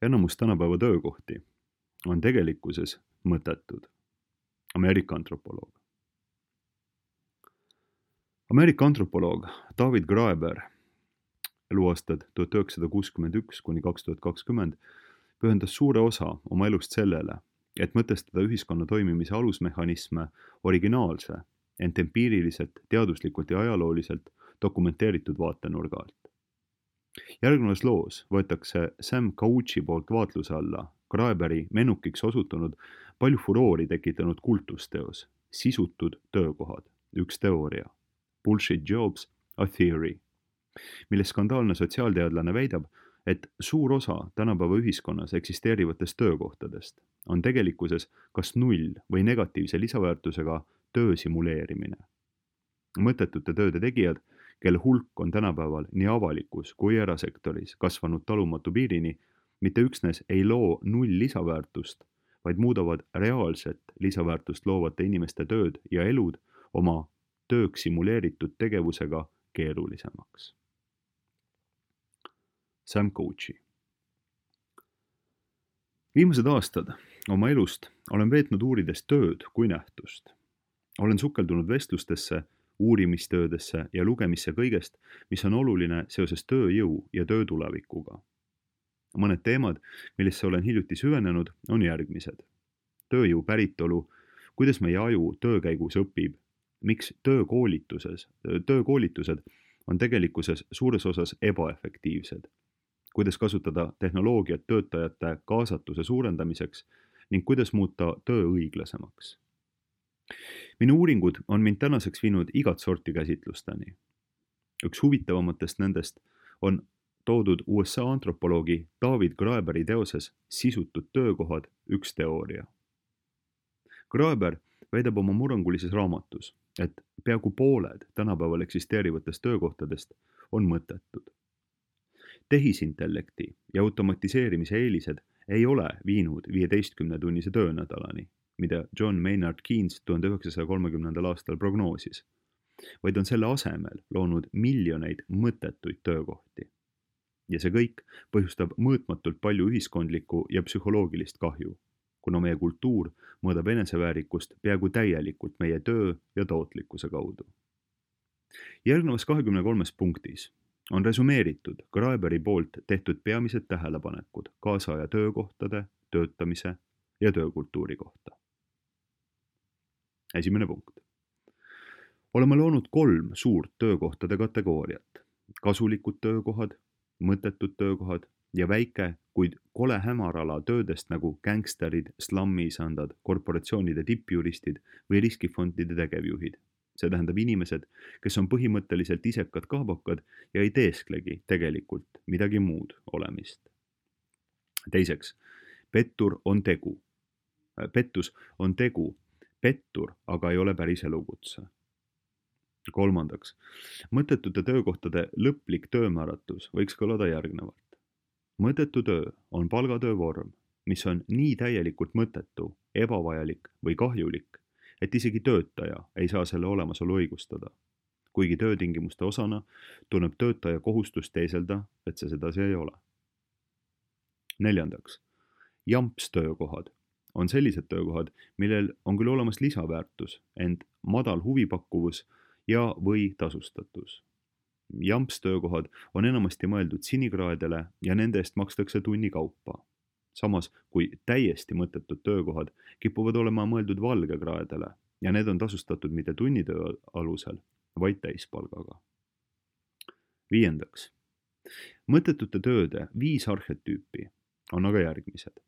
Enamus tänapäeva töökohti on tegelikkuses mõttetud. Ameerika antropoloog. Ameerika antropoloog David Graeber eluaastad 1961 kuni 2020 pühendas suure osa oma elust sellele, et mõtestada ühiskonna toimimise alusmehhanisme originaalse, ent empiiriliselt, teaduslikult ja ajalooliselt dokumenteeritud vaatenurga alt. Järgnevas loos võetakse Sam Cauchi poolt vaatluse alla Graeberi mennukiks osutunud palju furoori tekitanud kultusteos Sisutud töökohad, üks teooria, Bullshit Jobs, a Theory, milles skandaalne sotsiaalteadlane väidab, et suur osa tänapäeva ühiskonnas eksisteerivatest töökohtadest on tegelikkuses kas null või negatiivse lisaväärtusega töö simuleerimine. Mõttetute tööde tegijad, kelle hulk on tänapäeval nii avalikus kui erasektoris kasvanud talumatu piirini, mitte üksnes ei loo null lisaväärtust, vaid muudavad reaalset lisaväärtust loovate inimeste tööd ja elud oma tööks simuleeritud tegevusega keerulisemaks. Sam Cauchi. Viimased aastad oma elust olen veetnud uurides tööd kui nähtust. Olen sukeldunud vestlustesse, uurimistöödesse ja lugemisse kõigest, mis on oluline seoses tööjõu ja töö tulevikuga. Mõned teemad, millesse olen hiljuti süvenenud, on järgmised. Tööjõu päritolu, kuidas meie aju töö käigus õpib, miks töökoolitused on tegelikkuses suures osas ebaefektiivsed, kuidas kasutada tehnoloogiat töötajate kaasatuse suurendamiseks ning kuidas muuta töö õiglasemaks. Minu uuringud on mind tänaseks viinud igat sorti käsitlusteni. Üks huvitavamatest nendest on toodud USA antropoloogi David Graeberi teoses Sisutud töökohad, üks teooria. Graeber väidab oma murrangulises raamatus, et peaaegu pooled tänapäeval eksisteerivatest töökohtadest on mõttetud. Tehisintellekti ja automatiseerimise eelised ei ole viinud 15-tunnise töönädalani, mida John Maynard Keynes 1930. aastal prognoosis, vaid on selle asemel loonud miljoneid mõttetuid töökohti. Ja see kõik põhjustab mõõtmatult palju ühiskondlikku ja psühholoogilist kahju, kuna meie kultuur mõõdab eneseväärikust peaaegu täielikult meie töö ja tootlikkuse kaudu. Järgnevas 23 punktis on resumeeritud Graeberi poolt tehtud peamised tähelepanekud kaasaja töökohtade, töötamise ja töökultuuri kohta. Esimene punkt. Oleme loonud 3 suurt töökohtade kategooriat. Kasulikud töökohad, mõttetud töökohad ja väike, kuid kole hämarala töödest nagu gängsterid, slammiisandad, korporatsioonide tippjuristid või riskifondide tegevjuhid. See tähendab inimesed, kes on põhimõtteliselt isekad kaabakad ja ei teesklegi tegelikult midagi muud olemist. Teiseks, pettus on tegu, pettur aga ei ole päris elukutse. Kolmandaks, mõttetute töökohtade lõplik töömääratus võiks kõlada järgnevalt. Mõttetu töö on palgatöö vorm, mis on nii täielikult mõttetu, ebavajalik või kahjulik, et isegi töötaja ei saa selle olemasolu õigustada. Kuigi töötingimuste osana tunneb töötaja kohustust teeselda, et see sedasi ei ole. Neljandaks, jampstöökohad on sellised töökohad, millel on küll olemas lisaväärtus, ent madal huvipakkuvus ja või tasustatus. Jampstöökohad on enamasti mõeldud sinikraedele ja nende eest makstakse tunni kaupa. Samas kui täiesti mõttetud töökohad kipuvad olema mõeldud valgekraedele ja need on tasustatud mitte tunnitöö alusel, vaid täispalgaga. Viiendaks, mõttetute tööde 5 arhetüüpi on aga järgmised.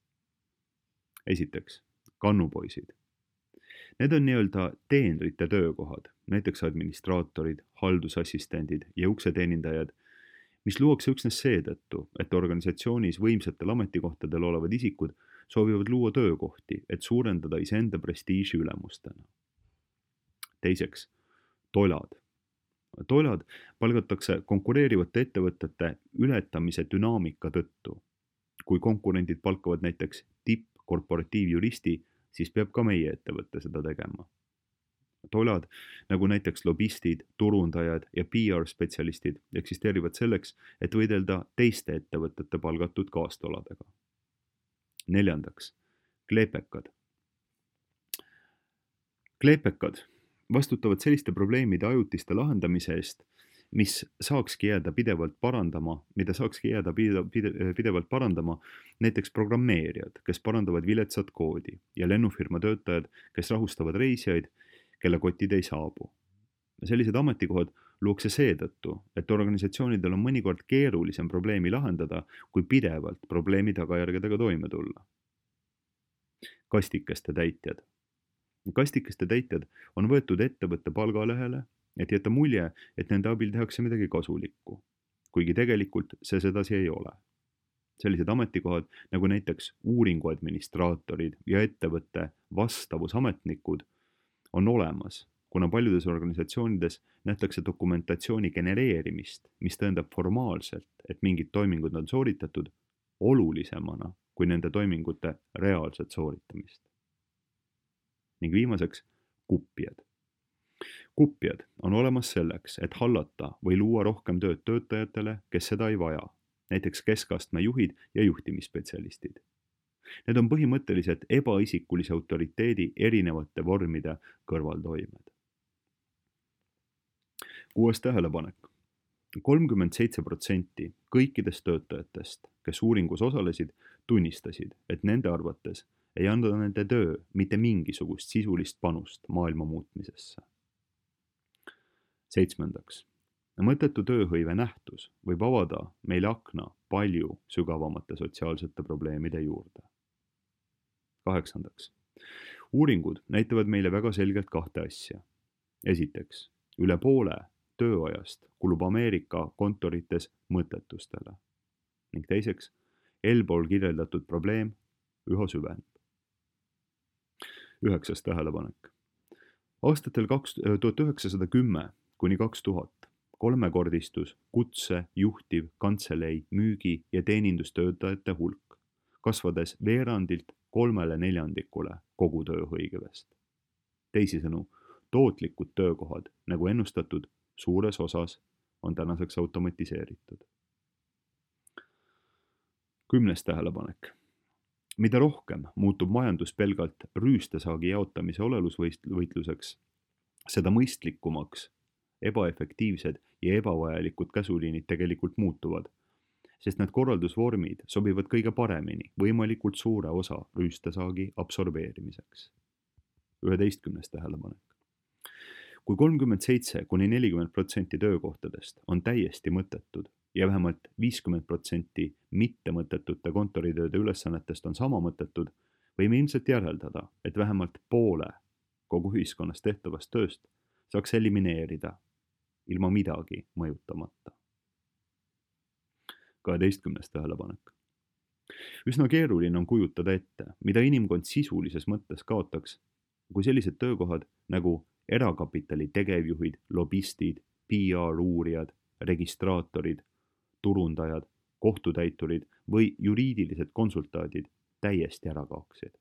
Esiteks, kannupoisid. Need on nii-öelda teenrite töökohad, näiteks administraatorid, haldusassistendid ja ukseteenindajad, mis luuakse üksnes seetõttu, et organisatsioonis võimsatel ametikohtadel olevad isikud soovivad luua töökohti, et suurendada iseenda prestiiži ülemustena. Teiseks, tolad. Tolad palgatakse konkureerivate ettevõtete ületamise dünaamika tõttu. Kui konkurendid palkavad näiteks tippkorporatiivjuristi, siis peab ka meie ettevõtte seda tegema. Tolad, nagu näiteks lobistid, turundajad ja PR-spetsialistid eksisteerivad selleks, et võidelda teiste ettevõtete palgatud kaastoladega. 4. Kleepekad. Kleepekad vastutavad selliste probleemide ajutiste lahendamise eest, mida saakski jääda pidevalt parandama näiteks programmeerijad, kes parandavad viletsat koodi ja lennufirma töötajad, kes rahustavad reisijaid, kelle kotid ei saabu. Sellised ametikohad luuakse seetõttu, et organisatsioonidel on mõnikord keerulisem probleemi lahendada, kui pidevalt probleemi tagajärgedega toime tulla. Kastikeste täitjad. Kastikeste täitjad on võetud ettevõtte palgalehele, et jätta mulje, et nende abil tehakse midagi kasulikku, kuigi tegelikult see sedasi ei ole. Sellised ametikohad, nagu näiteks uuringu administraatorid ja ettevõtte vastavusametnikud, on olemas, kuna paljudes organisatsioonides nähtakse dokumentatsiooni genereerimist, mis tõendab formaalselt, et mingid toimingud on sooritatud, olulisemana kui nende toimingute reaalset sooritamist. Ning viimaseks, kupjad. Kupjad on olemas selleks, et hallata või luua rohkem tööd töötajatele, kes seda ei vaja, näiteks keskastme juhid ja juhtimisspetsialistid. Need on põhimõtteliselt ebaisikkulise autoriteedi erinevate vormide kõrvaltoimed. 6. tähelepanek. 37% kõikidest töötajatest, kes uuringus osalesid, tunnistasid, et nende arvates ei anda nende töö mitte mingisugust sisulist panust maailma muutmisesse. 7. Mõttetu tööhõive nähtus võib avada meile akna palju sügavamate sotsiaalsete probleemide juurde. 8. Uuringud näitavad meile väga selgelt kahte asja. Esiteks, üle poole tööajast kulub Ameerika kontorites mõttetustele. Ning teiseks, eelpool kirjeldatud probleem üha süveneb. 9. tähelepanek. Aastatel 1910 kuni 2000 kolmekordistus kutse, juhtiv, kantselei, müügi ja teenindustöötajate hulk, kasvades veerandilt 3/4 kogu tööhõivest. Teisisõnu, tootlikud töökohad, nagu ennustatud, suures osas on tänaseks automatiseeritud. 10. tähelepanek. Mida rohkem muutub majandus pelgalt rüüstesaagi jaotamise olelusvõitluseks, seda mõistlikumaks ebaefektiivsed ja ebavajalikud käsuliinid tegelikult muutuvad, sest need korraldusvormid sobivad kõige paremini võimalikult suure osa rüüstesaagi absorbeerimiseks. 11. tähelepanek. Kui 37–40% töökohtadest on täiesti mõttetud ja vähemalt 50% mittemõttetute kontoritööde ülesannetest on sama mõttetud, võime ilmselt järeldada, et vähemalt poole kogu ühiskonnas tehtavast tööst saaks elimineerida ilma midagi mõjutamata. 12. tähelepanek. Üsna keeruline on kujutada ette, mida inimkond sisulises mõttes kaotaks, kui sellised töökohad nagu erakapitali tegevjuhid, lobistid, PR-uurijad, registraatorid, turundajad, kohtutäiturid või juriidilised konsultaadid täiesti ära kaoksid.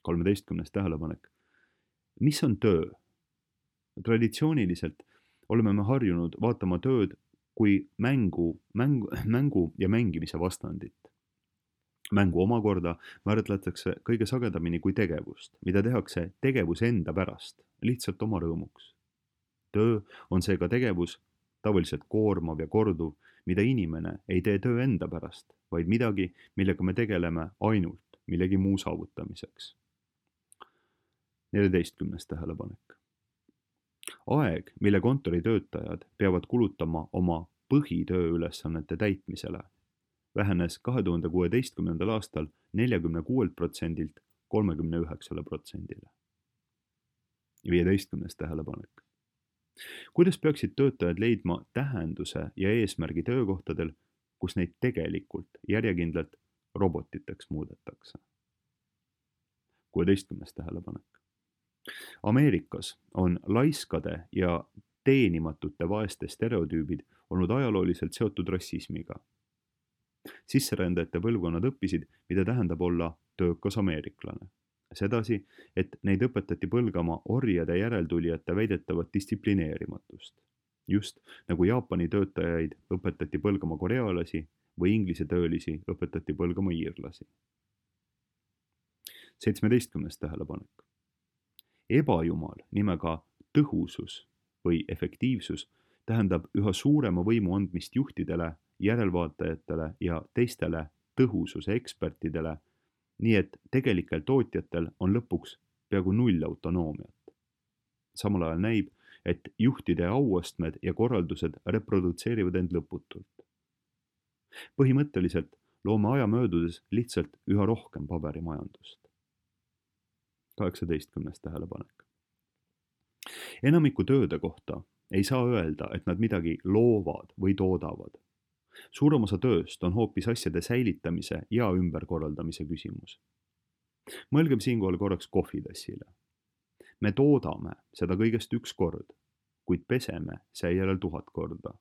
13. tähelepanek. Mis on töö? Traditsiooniliselt oleme me harjunud vaatama tööd kui mängu ja mängimise vastandit. Mängu omakorda määratletakse kõige sagedamini kui tegevust, mida tehakse tegevuse enda pärast, lihtsalt oma rõõmuks. Töö on seega tegevus, tavaliselt koormav ja korduv, mida inimene ei tee töö enda pärast, vaid midagi, millega me tegeleme ainult millegi muu saavutamiseks. 14. tähelepanek. Aeg, mille kontoritöötajad peavad kulutama oma põhitööülesannete täitmisele, vähenes 2016. aastal 46%-lt 39%-le. 15. tähelepanek. Kuidas peaksid töötajad leidma tähenduse ja eesmärgi töökohtadel, kus neid tegelikult järjekindlalt robotiteks muudetakse? 16. tähelepanek. Ameerikas on laiskade ja teenimatute vaeste stereotüübid olnud ajalooliselt seotud rassismiga. Sisserändajate põlvkonnad õppisid, mida tähendab olla töökas ameeriklane. Sedasi, et neid õpetati põlgama orjade järeltulijate väidetavat distsiplineerimatust. Just nagu Jaapani töötajaid õpetati põlgama korealasi või inglise töölisi õpetati põlgama iirlasi. 17. tähelepanek. Ebajumal nimega tõhusus või efektiivsus tähendab üha suurema võimu andmist juhtidele, järelvaatajatele ja teistele tõhususe ekspertidele, nii et tegelikel tootjatel on lõpuks peaaegu null autonoomiat. Samal ajal näib, et juhtide auastmed ja korraldused reprodutseerivad end lõputult. Põhimõtteliselt loome aja möödudes lihtsalt üha rohkem paberimajandust. 18. tähelepanek. Enamiku tööde kohta ei saa öelda, et nad midagi loovad või toodavad. Suurem osa tööst on hoopis asjade säilitamise ja ümberkorraldamise küsimus. Mõelgem siinkohal korraks kohvitassile. Me toodame seda kõigest üks kord, kuid peseme seejärel 1000 korda.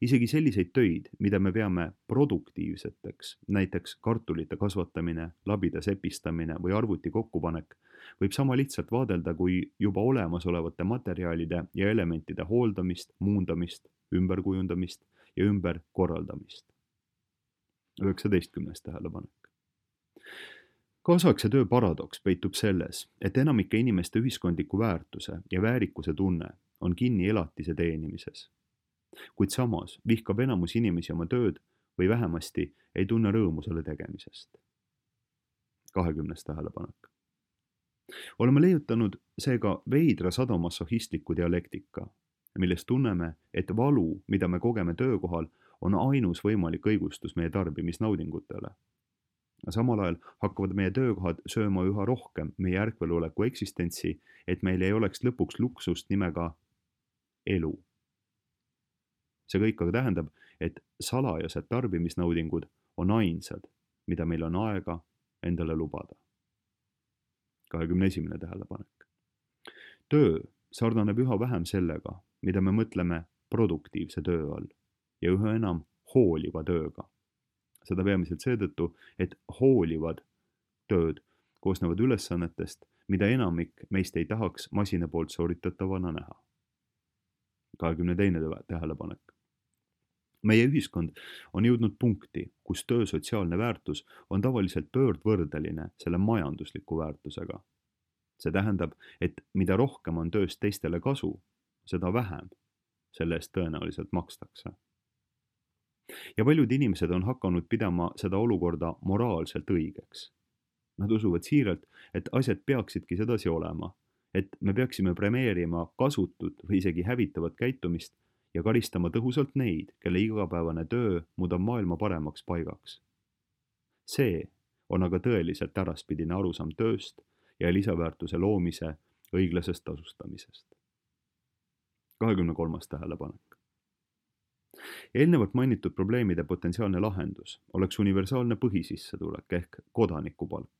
Isegi selliseid töid, mida me peame produktiivseteks, näiteks kartulite kasvatamine, labida sepistamine või arvuti kokkupanek, võib sama lihtsalt vaadelda kui juba olemasolevate materjalide ja elementide hooldamist, muundamist, ümberkujundamist ja ümberkorraldamist. 19. tähelepanek. Kaasaegse töö paradoks peitub selles, et enamike inimeste ühiskondliku väärtuse ja väärikuse tunne on kinni elatise teenimises. Kuid samas vihkab enamus inimesi oma tööd või vähemasti ei tunne rõõmu selle tegemisest. 20. tähelepanek. Oleme leiutanud seega veidra sadomassohhistliku dialektika, milles tunneme, et valu, mida me kogeme töökohal, on ainus võimalik õigustus meie tarbimisnaudingutele. Samal ajal hakkavad meie töökohad sööma üha rohkem meie ärkveloleku eksistentsi, et meil ei oleks lõpuks luksust nimega elu. See kõik aga tähendab, et salajased tarbimisnaudingud on ainsad, mida meil on aega endale lubada. 21. tähelepanek. Töö sarnaneb üha vähem sellega, mida me mõtleme produktiivse töö all ja üha enam hooliva tööga. Seda peamiselt seetõttu, et hoolivad tööd koosnevad ülesannetest, mida enamik meist ei tahaks masina poolt sooritatavana näha. 22. tähelepanek. Meie ühiskond on jõudnud punkti, kus töö sotsiaalne väärtus on tavaliselt pöördvõrdeline selle majandusliku väärtusega. See tähendab, et mida rohkem on tööst teistele kasu, seda vähem selle eest tõenäoliselt makstakse. Ja paljud inimesed on hakanud pidama seda olukorda moraalselt õigeks. Nad usuvad siiralt, et asjad peaksidki sedasi olema, et me peaksime premeerima kasutut või isegi hävitavat käitumist ja karistama tõhusalt neid, kelle igapäevane töö muudab maailma paremaks paigaks. See on aga tõeliselt äraspidine arusaam tööst ja lisaväärtuse loomise õiglasest tasustamisest. 23. tähelepanek. Eelnevalt mainitud probleemide potentsiaalne lahendus oleks universaalne põhisissetulek ehk kodanikupalk.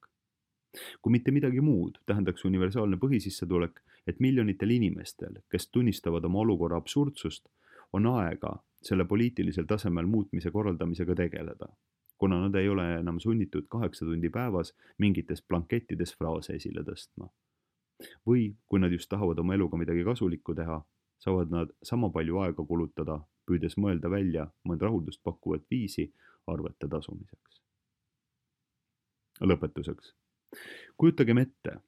Kui mitte midagi muud, tähendaks universaalne põhisissetulek, et miljonitel inimestel, kes tunnistavad oma olukorra absurdsust, on aega selle poliitilisel tasemel muutmise korraldamisega tegeleda, kuna nad ei ole enam sunnitud 8 tundi päevas mingites blankettides fraase esile tõstma. Või kui nad just tahavad oma eluga midagi kasulikku teha, saavad nad sama palju aega kulutada, püüdes mõelda välja mõnd rahuldust pakkuvat viisi arvete tasumiseks. Lõpetuseks. Kujutagem ette,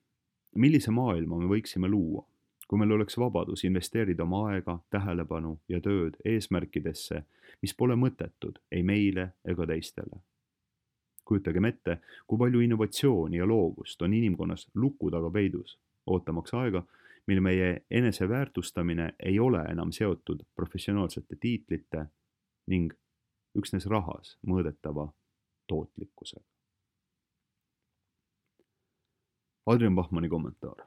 millise maailma me võiksime luua, kui meil oleks vabadus investeerida oma aega, tähelepanu ja tööd eesmärkidesse, mis pole mõttetud ei meile ega teistele. Kujutagem ette, kui palju innovatsiooni ja loovust on inimkonnas luku taga peidus, ootamaks aega, mil meie eneseväärtustamine ei ole enam seotud professionaalsete tiitlite ning üksnes rahas mõõdetava tootlikkusega. Adrian Bachmanni kommentaar.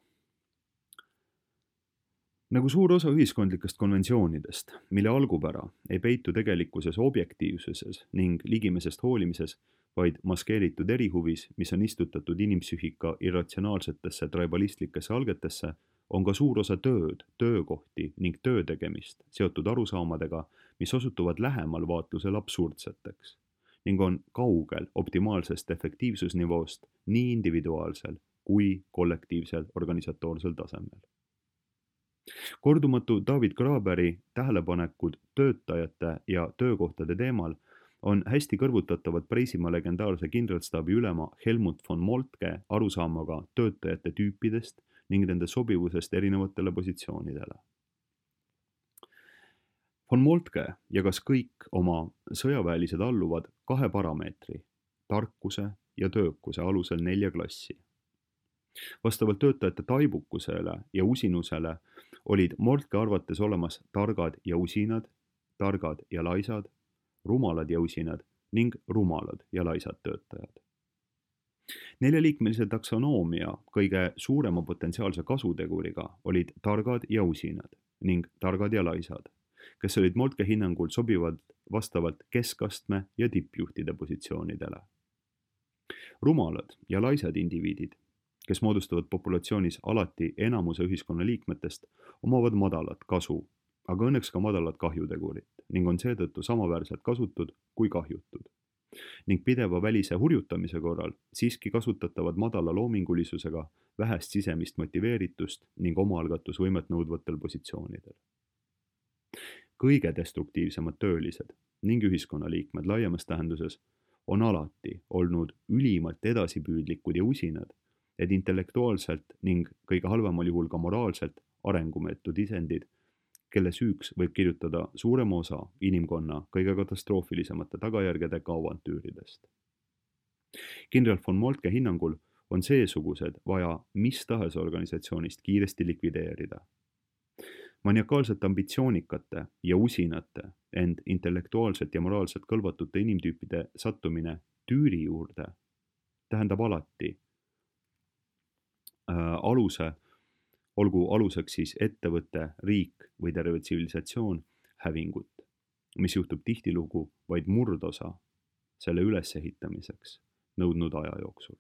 Nagu suur osa ühiskondlikest konventsioonidest, mille algupära ei peitu tegelikkuses objektiivsuses ning ligimesest hoolimises, vaid maskeeritud erihuvis, mis on istutatud inimpsüühika irratsionaalsetesse tribalistlikusse algetesse, on ka suur osa tööd, töökohti ning töötegemist seotud arusaamadega, mis osutuvad lähemal vaatlusel absurdseteks ning on kaugel optimaalsest efektiivsusnivoost nii individuaalsel kui kollektiivsel organisatoorsel tasemel. Kordumatu David Graberi tähelepanekud töötajate ja töökohtade teemal on hästi kõrvutatavad Preisimaa legendaarse kindralstaabi ülema Helmut von Moltke arusaamaga töötajate tüüpidest ning nende sobivusest erinevatele positsioonidele. Von Moltke jagas kõik oma sõjaväelised alluvad 2 parameetri, tarkuse ja töökuse alusel 4 klassi. Vastavalt töötajate taibukusele ja usinusele olid Moltke arvates olemas targad ja usinad, targad ja laisad, rumalad ja usinad ning rumalad ja laisad töötajad. 4-liikmelise taksonoomia kõige suurema potentsiaalse kasuteguriga olid targad ja usinad ning targad ja laisad, kes olid Moltke hinnangul sobivad vastavalt keskastme ja tippjuhtide positsioonidele. Rumalad ja laisad indiviidid, kes moodustavad populatsioonis alati enamuse ühiskonna liikmetest, omavad madalat kasu, aga õnneks ka madalat kahjutegurit ning on seetõttu samaväärselt kasutud kui kahjutud. Ning pideva välise hurjutamise korral siiski kasutatavad madala loomingulisusega vähest sisemist motiveeritust ning omaalgatusvõimet nõudvatel positsioonidel. Kõige destruktiivsemad töölised ning ühiskonnaliikmed laiemas tähenduses on alati olnud ülimalt edasipüüdlikud ja usinad, et intellektuaalselt ning kõige halvemal juhul ka moraalselt arengumeetud isendid, kelle süüks võib kirjutada suurema osa inimkonna kõige katastroofilisemate tagajärgedega avantüüridest. Kindral von Moltke hinnangul on seesugused vaja mis tahes organisatsioonist kiiresti likvideerida. Maniakaalselt ambitsioonikate ja usinate, ent intellektuaalselt ja moraalselt kõlvatute inimtüüpide sattumine tüüri juurde tähendab alati olgu aluseks siis ettevõte, riik või terve tsivilisatsioon, hävingut, mis juhtub tihtilugu vaid murdosa selle ülesehitamiseks nõudnud aja jooksul.